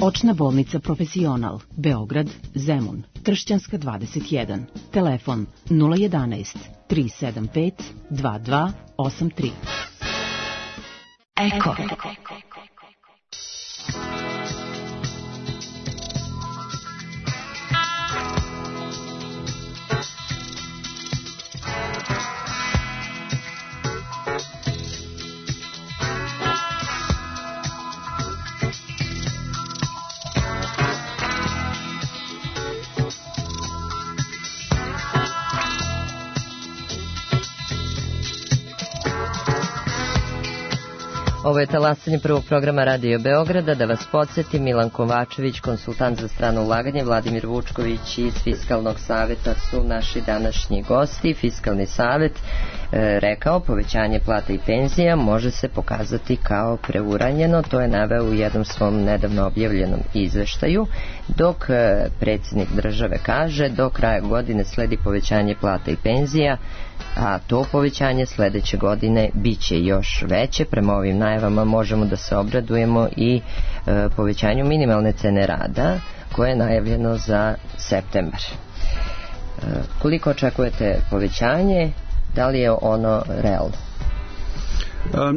Očna bolnica Profesional, Beograd, Zemun, Tršćanska 21. Telefon 011 375 2283. Eko. Ovo je talasanje prvog programa Radio Beograda. Da vas podsjetim, Milan Kovačević, konsultant za strano ulaganje, Vladimir Vučković iz Fiskalnog saveta su naši današnji gosti. Fiskalni savet rekao povećanje plata i penzija može se pokazati kao preuranjeno. To je naveo u jednom svom nedavno objavljenom izveštaju, dok predsjednik države kaže do kraja godine sledi povećanje plata i penzija, a to povećanje sledeće godine biće još veće. Prema ovim najavama možemo da se obradujemo i povećanju minimalne cene rada koje je najavljeno za septembar. Koliko očekujete povećanje? Da li je ono realno?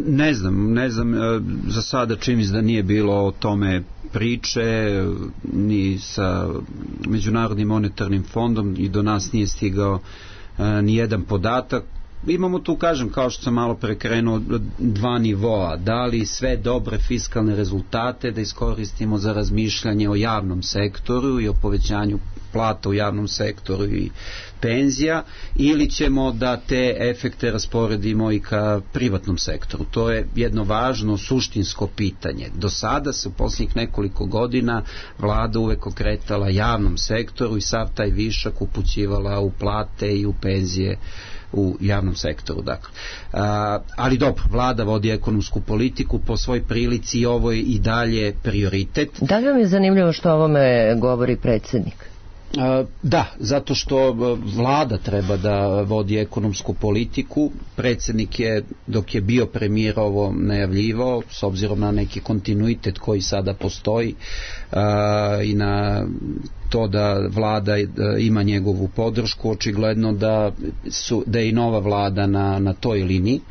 Ne znam, za sada čini mi se da nije bilo o tome priče ni sa Međunarodnim monetarnim fondom i do nas nije stigao ni jedan podatak. imamo tu, kažem, kao što sam malo prekrenuo, dva nivoa. Da li sve dobre fiskalne rezultate da iskoristimo za razmišljanje o javnom sektoru i o povećanju plata u javnom sektoru i penzija, ili ćemo da te efekte rasporedimo i ka privatnom sektoru. To je jedno važno suštinsko pitanje. Do sada se u posljednjih nekoliko godina vlada uvek okretala javnom sektoru i sav taj višak upućivala u plate i u penzije u javnom sektoru. Dakle. Ali dobro, vlada vodi ekonomsku politiku po svoj prilici i ovo je i dalje prioritet. Da li vam je zanimljivo što o ovome govori predsjednik? Da, zato što vlada treba da vodi ekonomsku politiku. Predsjednik je, dok je bio premijer, ovo najavljivao, s obzirom na neki kontinuitet koji sada postoji i na to da vlada ima njegovu podršku, očigledno da je i nova vlada na toj liniji.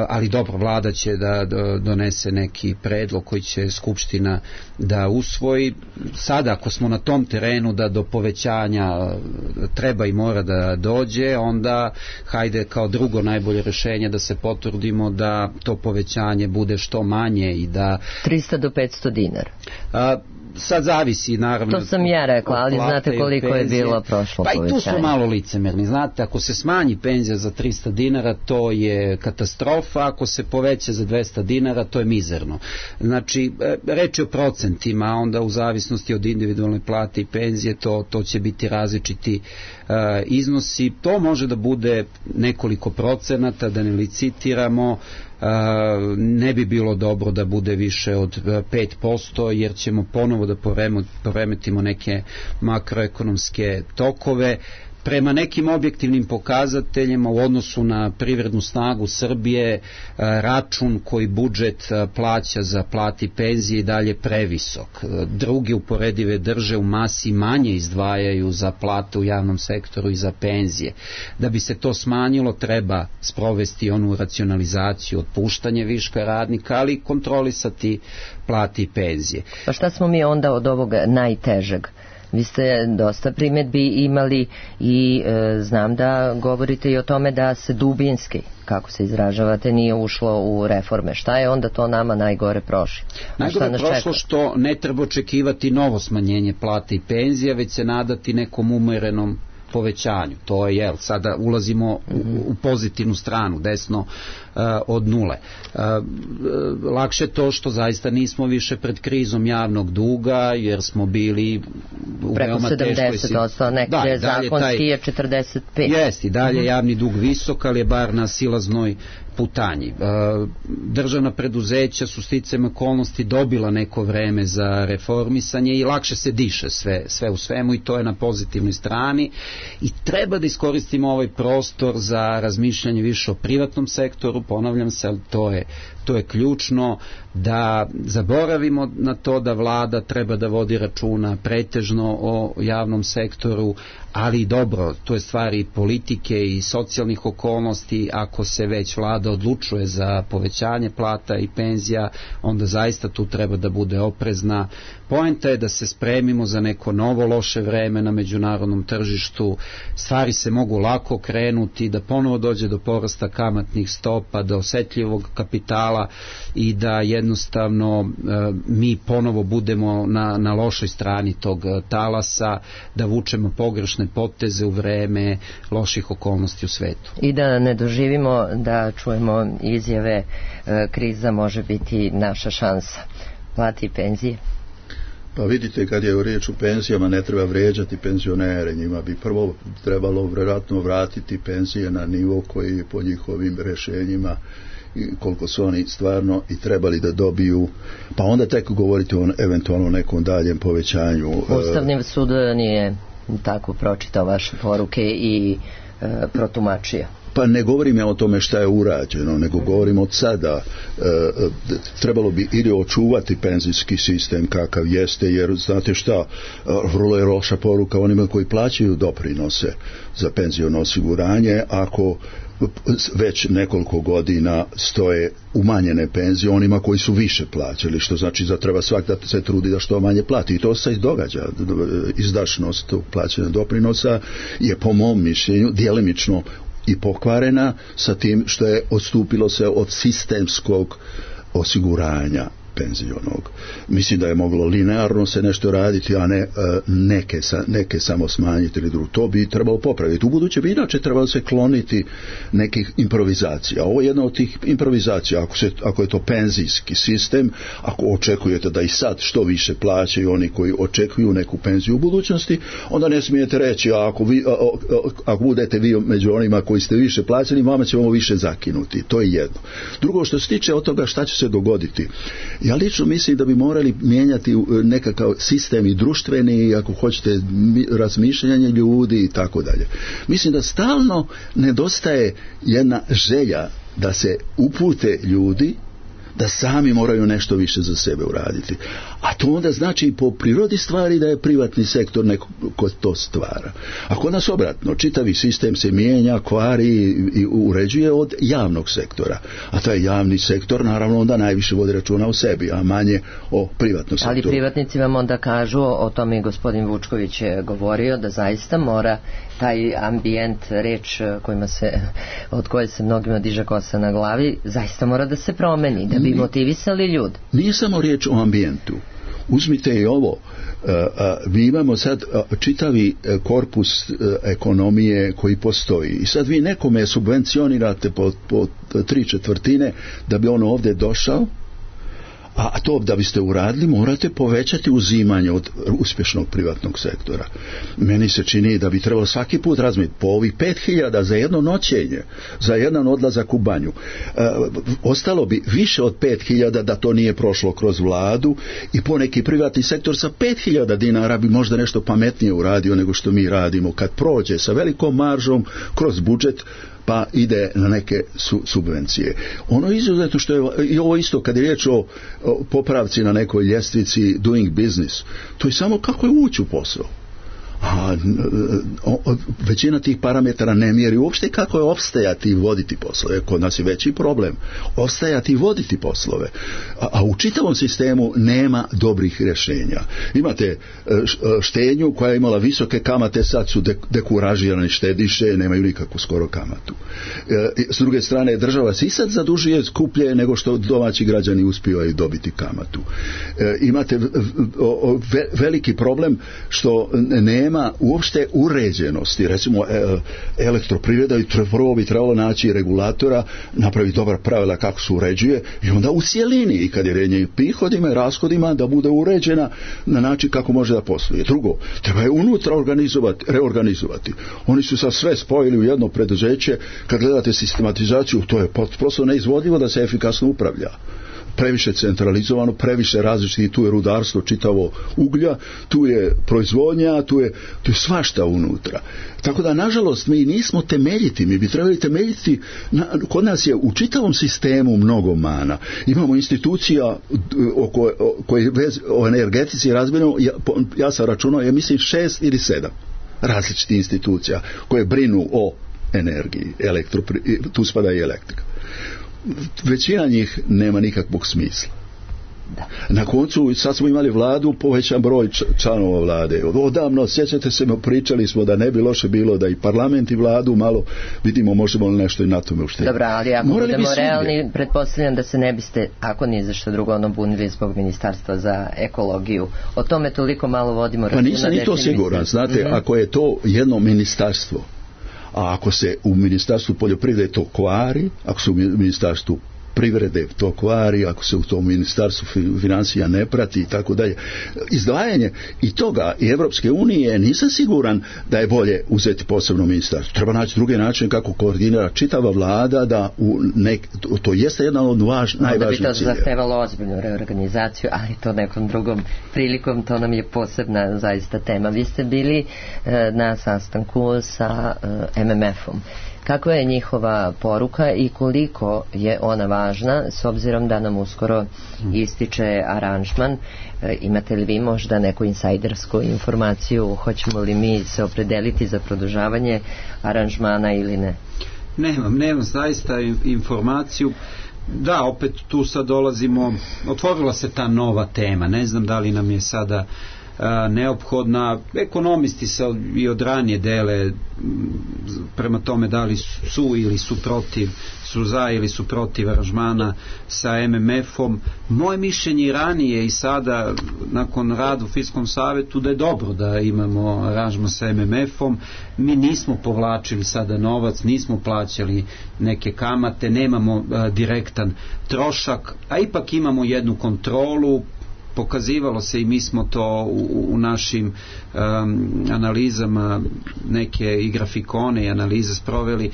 Ali dobro, vlada će da donese neki predlog koji će Skupština da usvoji. Sada, ako smo na tom terenu da do povećanja treba i mora da dođe, onda hajde kao drugo najbolje rješenje da se potrudimo da to povećanje bude što manje i da 300 do 500 dinara. Sad zavisi, naravno. To sam ja rekla, ali znate koliko je bilo prošlo povećanje. Pa i tu su malo licemerni. Znate, ako se smanji penzija za 300 dinara, to je katastrofa, ako se poveća za 200 dinara, to je mizerno. Znači, reč je o procentima, a onda u zavisnosti od individualne plate i penzije, to će biti različiti iznosi. To može da bude nekoliko procenata, da ne licitiramo. Ne bi bilo dobro da bude više od 5%, jer ćemo ponovo da poremetimo neke makroekonomske tokove. Prema nekim objektivnim pokazateljima u odnosu na privrednu snagu Srbije, račun koji budžet plaća za plati i penzije i dalje previsok. Druge uporedive države u masi manje izdvajaju za plate u javnom sektoru i za penzije. Da bi se to smanjilo, treba sprovesti onu racionalizaciju, otpuštanje viška radnika, ali i kontrolisati plati i penzije. Pa šta smo mi onda od ovog najtežeg? Vi ste dosta primjedbi imali i znam da govorite i o tome da se dubinski, kako se izražavate, nije ušlo u reforme. Šta je onda to nama najgore prošlo? Najgore prošlo što ne treba očekivati novo smanjenje plate i penzija, već se nadati nekom umerenom povećanju. To je, sada ulazimo u pozitivnu stranu, desno od nule. Lakše to što zaista nismo više pred krizom javnog duga, jer smo bili u veoma teškoj situaciji. Preko 70%, nekde zakonski je 45%. Jest, i dalje javni dug visok, ali je bar na silaznoj putanji. Državna preduzeća su sticajem okolnosti dobila neko vreme za reformisanje i lakše se diše sve u svemu, i to je na pozitivnoj strani, i treba da iskoristimo ovaj prostor za razmišljanje više o privatnom sektoru. Ponavljam se, ali to je ključno, da zaboravimo na to da vlada treba da vodi računa pretežno o javnom sektoru, ali dobro, to je stvar i politike i socijalnih okolnosti. Ako se već vlada odlučuje za povećanje plata i penzija, onda zaista tu treba da bude oprezna. Poenta je da se spremimo za neko novo loše vreme na međunarodnom tržištu. Stvari se mogu lako krenuti, da ponovo dođe do porasta kamatnih stopa, do osetljivog kapitala i da jednostavno mi ponovo budemo na lošoj strani tog talasa, da vučemo pogrešne poteze u vreme loših okolnosti u svetu. I da ne doživimo da čujemo izjave kriza može biti naša šansa. Plati i penzije. Pa vidite, kad je u riječ o penzijama, ne treba vrijeđati penzionere, njima bi prvo trebalo vjerojatno vratiti penzije na nivo koji po njihovim rješenjima koliko su oni stvarno i trebali da dobiju, pa onda tek govoriti o eventualno nekom daljem povećanju. Ustavni sud nije tako pročitao vaše poruke i protumačio. Pa ne govorim ja o tome šta je urađeno, nego govorim od sada. Trebalo bi ili očuvati penzijski sistem kakav jeste, jer znate šta, vrlo je loša poruka onima koji plaćaju doprinose za penziono osiguranje, ako već nekoliko godina stoje umanjene penzije onima koji su više plaćali, što znači da treba svak da se trudi da što manje plati, i to se događa. Izdašnost plaćanja doprinosa je po mom mišljenju djelimično i pokvarena sa tim što je odstupilo se od sistemskog osiguranja penzionog. Mislim da je moglo linearno se nešto raditi, a ne neke samo smanjiti ili drugo. To bi trebalo popraviti. U buduće bi inače trebalo se kloniti nekih improvizacija. Ovo je jedna od tih improvizacija. Ako je to penzijski sistem, ako očekujete da i sad što više plaćaju oni koji očekuju neku penziju u budućnosti, onda ne smijete reći, ako budete vi među onima koji ste više plaćali, vama ćemo više zakinuti. To je jedno. Drugo, što se tiče od toga šta će se dogoditi, ja lično mislim da bi morali mijenjati nekakav sistem i društveni, ako hoćete, razmišljanje ljudi i tako dalje. Mislim da stalno nedostaje jedna želja da se upute ljudi da sami moraju nešto više za sebe uraditi. A to onda znači po prirodi stvari da je privatni sektor neko ko to stvara. A kod nas obratno, čitavi sistem se mijenja, kvari i uređuje od javnog sektora. A taj javni sektor naravno onda najviše vodi računa o sebi, a manje o privatnom sektoru. Ali privatnici vam onda kažu, o tome i gospodin Vučković je govorio, da zaista mora taj ambijent, reč od koje se mnogima diže kosa na glavi, zaista mora da se promeni, da bi motivisali ljudi. Nije samo riječ o ambijentu. Uzmite i ovo, mi imamo sad čitavi korpus ekonomije koji postoji i sad vi nekome subvencionirate po 3/4 da bi on ovdje došao, a to da biste uradili morate povećati uzimanje od uspješnog privatnog sektora. Meni se čini da bi trebalo svaki put razmišljati po ovih 5.000 za jedno noćenje, za jedan odlazak u banju. Ostalo bi više od 5.000 da to nije prošlo kroz vladu i poneki privatni sektor sa 5.000 dinara bi možda nešto pametnije uradio nego što mi radimo kad prođe sa velikom maržom kroz budžet pa ide na neke subvencije. Ono izuzetno što je i ovo isto kad je riječ o popravci na nekoj ljestvici doing business, to je samo kako je ući u posao. A većina tih parametara ne mjeri uopšte kako je opstajati i voditi poslove. Kod nas je veći problem opstajati i voditi poslove, a u čitavom sistemu nema dobrih rješenja. Imate štednju koja je imala visoke kamate, sad su dekuražirani štediše, nemaju nikakvu skoro kamatu. S druge strane, država se i sad zadužuje skuplje nego što domaći građani uspijevaju dobiti kamatu. Imate veliki problem što nema uopšte uređenosti. Recimo elektroprivreda prvo bi trebalo naći regulatora, napraviti dobar pravila kako se uređuje i onda u cjelini i kad je riječ o prihodima i rashodima da bude uređena na način kako može da posluje. Drugo, treba je unutra reorganizovati. Oni su sad sve spojili u jedno preduzeće. Kad gledate sistematizaciju, to je prosto neizvodljivo da se efikasno upravlja. Previše centralizovano, previše različitih, tu je rudarstvo čitavo uglja, tu je proizvodnja, tu je svašta unutra. Tako da, nažalost, mi nismo temeljiti, mi bi trebali temeljiti, kod nas je u čitavom sistemu mnogo mana. Imamo institucija koje o energetici razbijeno, ja sam računao, ja mislim 6 ili 7 različitih institucija koje brinu o energiji, tu spada i elektrika. Većina njih nema nikakvog smisla. Da. Na koncu sad smo imali vladu, povećan broj članova vlade. Odavno, sjećate se, pričali smo da ne bi loše bilo da i parlament i vladu malo vidimo možemo li nešto i na tome uštediti. Dobro, ali ako budemo realni, pretpostavljam da se ne biste, ako nije za što drugo, bunili zbog Ministarstva za ekologiju. O tome toliko malo vodimo računa. Pa nisam ni to siguran. Znate, ako je to jedno ministarstvo, a ako se u Ministarstvu poljoprivrede to kvari, ako se u Ministarstvu privrede to kvari, ako se u tom Ministarstvu financija ne prati i tako dalje, izdvajanje i toga i Evropske unije, nisam siguran da je bolje uzeti posebno ministarstvo. Treba naći druge načine kako koordinira čitava vlada da to jeste jedan od najvažnijih ciljeva. Onda bi to zahtevalo ozbiljnu reorganizaciju, ali to nekom drugom prilikom, to nam je posebna zaista tema. Vi ste bili na sastanku sa MMF-om. Kakva je njihova poruka i koliko je ona važna s obzirom da nam uskoro ističe aranžman? Imate li vi možda neku insajdersku informaciju? Hoćemo li mi se opredeliti za produžavanje aranžmana ili ne? Nemam zaista informaciju. Da, opet tu sad dolazimo, otvorila se ta nova tema. Ne znam da li nam je sada neophodna. Ekonomisti se i od ranije dele prema tome da li su ili su protiv, su za ili su protiv aranžmana sa MMF-om. Moje mišljenje i ranije i sada nakon rada u Fiskalnom savetu da je dobro da imamo aranžman sa MMF-om. Mi nismo povlačili sada novac, nismo plaćali neke kamate, nemamo direktan trošak, a ipak imamo jednu kontrolu. Pokazivalo se i mi smo to u našim analizama, neke i grafikone i analize sproveli,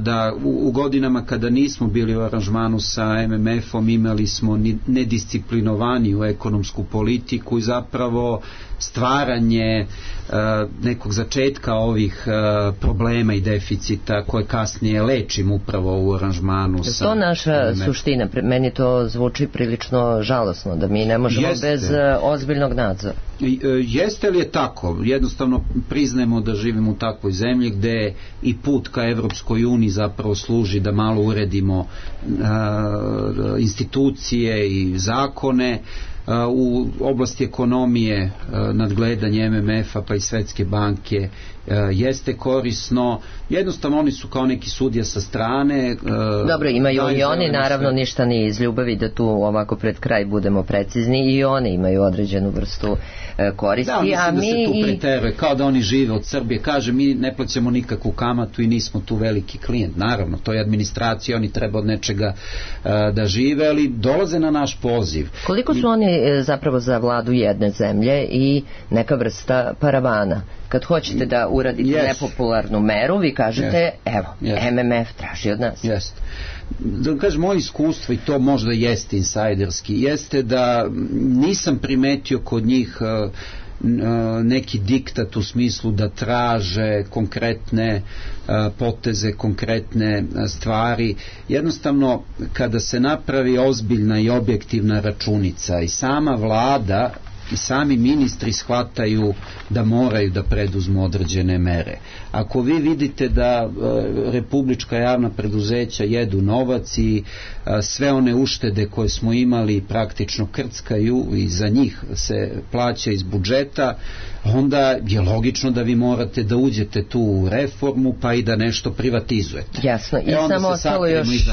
da u godinama kada nismo bili u aranžmanu sa MMF-om imali smo nedisciplinovaniju ekonomsku politiku i zapravo stvaranje nekog začetka ovih problema i deficita koje kasnije lečimo upravo u aranžmanu sa to naša MMF. Suština, meni to zvuči prilično žalosno da mi ne možemo bez ozbiljnog nadzora. Jeste li je tako? Jednostavno priznajemo da živimo u takvoj zemlji gde i put ka Evropskoj uniji zapravo služi da malo uredimo institucije i zakone. U oblasti ekonomije nadgledanje MMF-a pa i Svetske banke jeste korisno. Jednostavno oni su kao neki sudija sa strane. Dobro, imaju i oni naravno ništa ni iz ljubavi, da tu ovako pred kraj budemo precizni, i oni imaju određenu vrstu koristi. Da, mislim a da mi se tu preteruje, kao da oni žive od Srbije. Kaže, mi ne plaćamo nikakvu kamatu i nismo tu veliki klijent. Naravno, to je administracija, oni treba od nečega da žive, ali dolaze na naš poziv. Koliko su oni zapravo za vladu jedne zemlje i neka vrsta paravana? Kad hoćete da uradite nepopularnu meru, vi kažete, evo, MMF traži od nas. Jeste. Da kažem, moje iskustvo, i to možda jeste insajderski, jeste da nisam primetio kod njih neki diktat u smislu da traže konkretne poteze, konkretne stvari. Jednostavno, kada se napravi ozbiljna i objektivna računica i sama vlada i sami ministri shvataju da moraju da preduzmu određene mere. Ako vi vidite da republička javna preduzeća jedu novac i sve one uštede koje smo imali praktično krckaju i za njih se plaća iz budžeta, onda je logično da vi morate da uđete tu u reformu pa i da nešto privatizujete. Jasno. I onda samo se ostalo još iza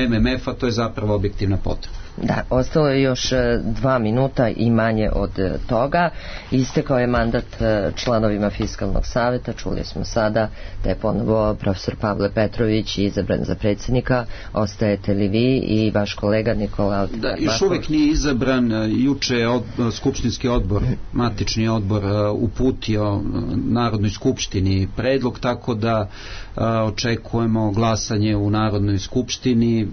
MMF-a, to je zapravo objektivna potreba. Da, ostalo je još 2 minuta i manje od toga. Istekao je mandat članovima Fiskalnog saveta. Čuli smo sada da je ponovo profesor Pavle Petrović izabran za predsjednika. Ostajete li vi i vaš kolega Nikola? Da, još uvek nije izabran. Juče je skupštinski odbor, matični odbor, uputio Narodnoj skupštini predlog, tako da očekujemo glasanje u Narodnoj skupštini.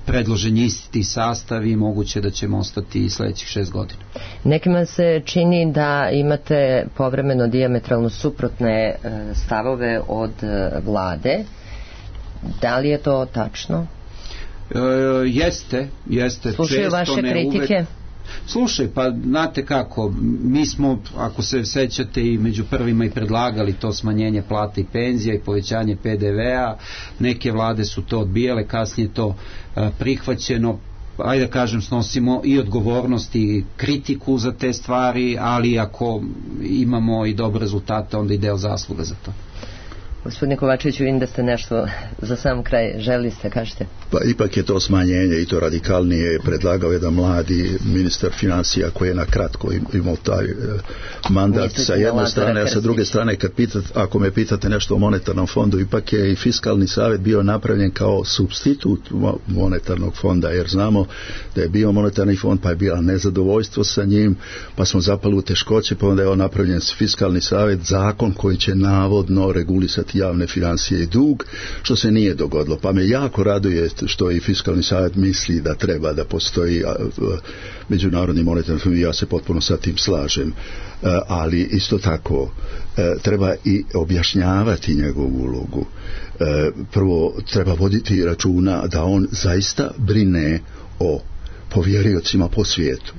Predložen je isti sastav i moguće da ćemo ostati i sledećih 6 godina. Nekima se čini da imate povremeno dijametralno suprotne stavove od vlade. Da li je to tačno? Jeste. Slušaju često, vaše kritike? Uvek. Slušaj, pa znate kako, mi smo, ako se sećate, i među prvima i predlagali to smanjenje plata i penzija i povećanje PDV-a, neke vlade su to odbijale, kasnije to prihvaćeno. Ajde da kažem, snosimo i odgovornost i kritiku za te stvari, ali ako imamo i dobre rezultate, onda i deo zasluga za to. Gospodine Kovačeviću, vidim da ste nešto za sam kraj želi ste, kažete. Pa ipak je to smanjenje i to radikalnije predlagao jedan mladi ministar financija koji je na kratko imao taj mandat sa jedne strane, a sa druge strane ako me pitate nešto o monetarnom fondu, ipak je i Fiskalni savjet bio napravljen kao supstitut monetarnog fonda, jer znamo da je bio monetarni fond, pa je bilo nezadovoljstvo sa njim, pa smo zapali u teškoće, pa onda je napravljen Fiskalni savjet, zakon koji će navodno regulisati javne financije i dug, što se nije dogodilo. Pa me jako raduje što i Fiskalni savjet misli da treba da postoji međunarodni monetarni fond, ja se potpuno sa tim slažem, ali isto tako treba i objašnjavati njegovu ulogu. Prvo treba voditi računa da on zaista brine o povjeriocima po svijetu.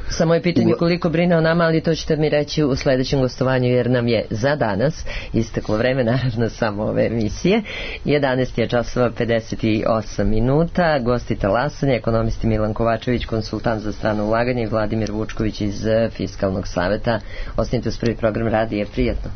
Samo je pitanje koliko brine o nama, ali to ćete mi reći u sledećem gostovanju, jer nam je za danas isteklo vreme, naravno samo ove emisije. 11 je časova 58 minuta. Gosti talasanja, ekonomisti Milan Kovačević, konsultant za strano ulaganje, i Vladimir Vučković iz Fiskalnog saveta. Ostanite uz prvi program radija. Prijatno.